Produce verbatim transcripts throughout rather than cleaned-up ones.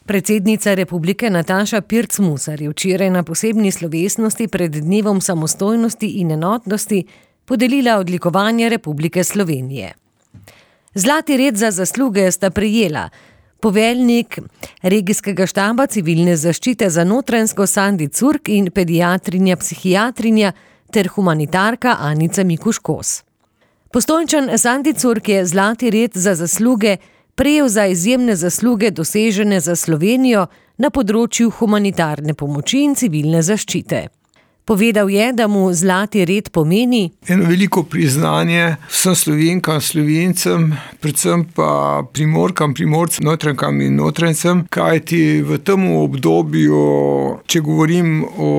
Predsednica republike Nataša Pirc Musar je včeraj na posebni slovesnosti pred Dnevom samostojnosti in enotnosti podelila odlikovanje Republike Slovenije. Zlati red za zasluge sta prejela poveljnik regijskega štaba civilne zaščite za Notranjsko Sandi Curk in pediatrinja psihiatrinja ter humanitarka Anica Mikuš-Kos. Postojnčan Sandi Curk je zlati red za zasluge prejel za izjemne zasluge dosežene za Slovenijo na področju humanitarne pomoči in civilne zaščite. Povedal je, da mu zlati red pomeni eno veliko priznanje vsem Slovenkam, Slovencem, predvsem pa Primorkam, Primorcem, Notranjkam in Notranjcem, kajti v tem obdobju, če govorim o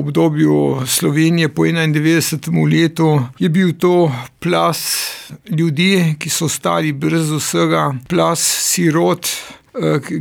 obdobju Slovenije po enaindevetdesetem letu, je bil to plaz ljudi, ki so ostali brez vsega, plaz sirot,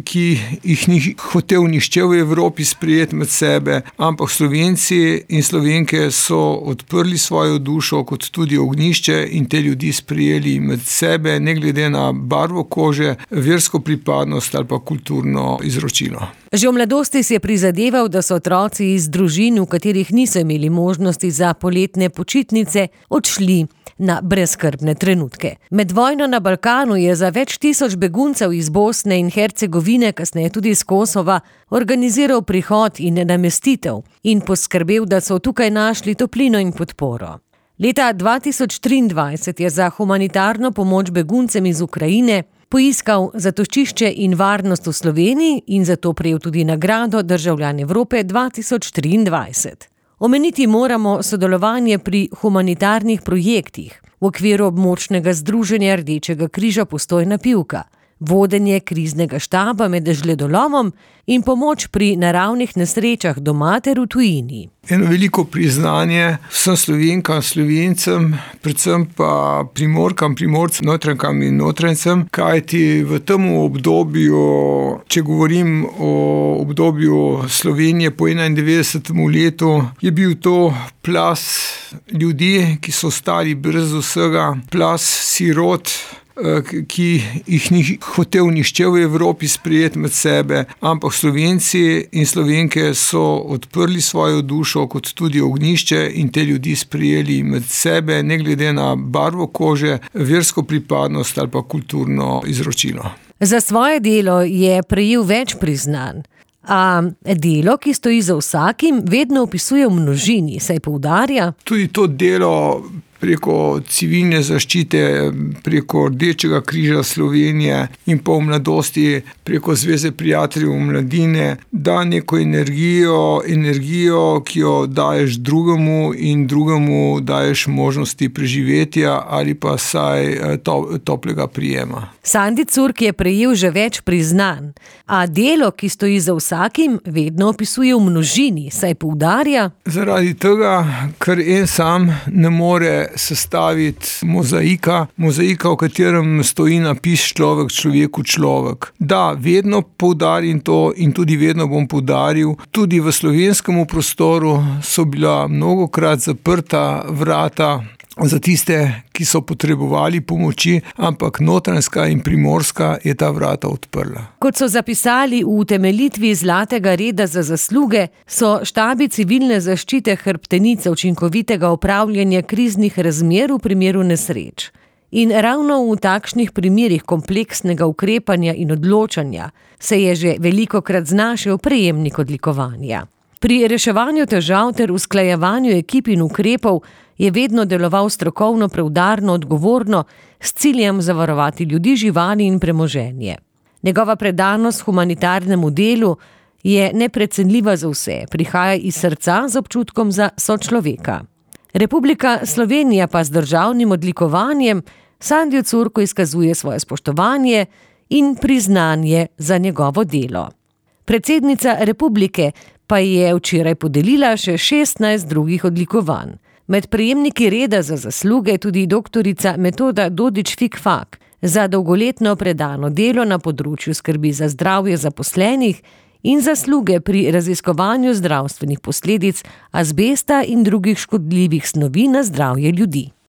ki jih ni hotel nihče v Evropi sprejeti med sebe, ampak Slovenci in Slovenke so odprli svojo dušo kot tudi ognjišče in te ljudi sprejeli med sebe, ne glede na barvo kože, versko pripadnost ali pa kulturno izročilo. Že v mladosti si je prizadeval, da so otroci iz družin, v katerih niso imeli možnosti za poletne počitnice, odšli na brezskrbne trenutke. Med vojno na Balkanu je za več tisoč beguncev iz Bosne in Hercegovine, kasneje tudi iz Kosova, organiziral prihod in namestitev in poskrbel, da so tukaj našli toplino in podporo. Leta dva tisoč triindvajset je za humanitarno pomoč beguncem iz Ukrajine poiskal zatočišče in varnost v Sloveniji in zato prejel tudi nagrado Državljan Evrope dva tisoč triindvajset. Omeniti moramo sodelovanje pri humanitarnih projektih v okviru območnega združenja Rdečega križa Postojna Pivka, vodenje kriznega štaba med žledolomom in pomoč pri naravnih nesrečah doma ter v tujini. Eno veliko priznanje vsem Slovenkam, Slovencem, predvsem pa Primorkam, Primorcem, Notranjkam in Notranjcem, kajti v tem obdobju, če govorim o obdobju Slovenije po enaindevetdesetem letu, je bil to plaz ljudi, ki so ostali brez vsega, plaz sirot, ki jih ni hotel nihče v Evropi sprejeti med sebe, ampak Slovenci in Slovenke so odprli svojo dušo kot tudi ognjišče in te ljudi sprejeli med sebe, ne glede na barvo kože, versko pripadnost ali pa kulturno izročilo. Za svoje delo je prejel več priznanj, a delo, ki stoji za vsakim, vedno opisuje v množini, saj poudarja. Tudi to delo preko civilne zaščite, preko Rdečega križa Slovenije in pa v mladosti preko Zveze prijateljev mladine, da neko energijo, energijo, ki jo daješ drugemu in drugemu daješ možnosti preživetja ali pa saj to, toplega prijema. Sandi Curk je prejel že več priznanj, a delo, ki stoji za vsakim, vedno opisuje v množini, saj poudarja. Zaradi tega, ker en sam ne more sestaviti mozaika, mozaika, v katerem stoji napis človek, človeku človek. Da, vedno poudarim to in tudi vedno bom poudaril, tudi v slovenskem prostoru so bila mnogokrat zaprta vrata za tiste, ki so potrebovali pomoči, ampak Notranjska in Primorska je ta vrata odprla. Kot so zapisali v utemeljitvi zlatega reda za zasluge, so štabi civilne zaščite hrbtenica učinkovitega upravljanja kriznih razmer v primeru nesreč. In ravno v takšnih primerih kompleksnega ukrepanja in odločanja se je že velikokrat znašel prejemnik odlikovanja. Pri reševanju težav ter usklajevanju ekip in ukrepov je vedno deloval strokovno, preudarno, odgovorno, s ciljem zavarovati ljudi, živali in premoženje. Njegova predanost humanitarnemu delu je neprecenljiva za vse, prihaja iz srca z občutkom za sočloveka. Republika Slovenija pa z državnim odlikovanjem Sandiju Curku izkazuje svoje spoštovanje in priznanje za njegovo delo. Predsednica republike pa je včeraj podelila še šestnajst drugih odlikovanj. Med prejemniki reda za zasluge tudi doktorica Metoda Dodič-Fikfak za dolgoletno predano delo na področju skrbi za zdravje zaposlenih in zasluge pri raziskovanju zdravstvenih posledic azbesta in drugih škodljivih snovi na zdravje ljudi.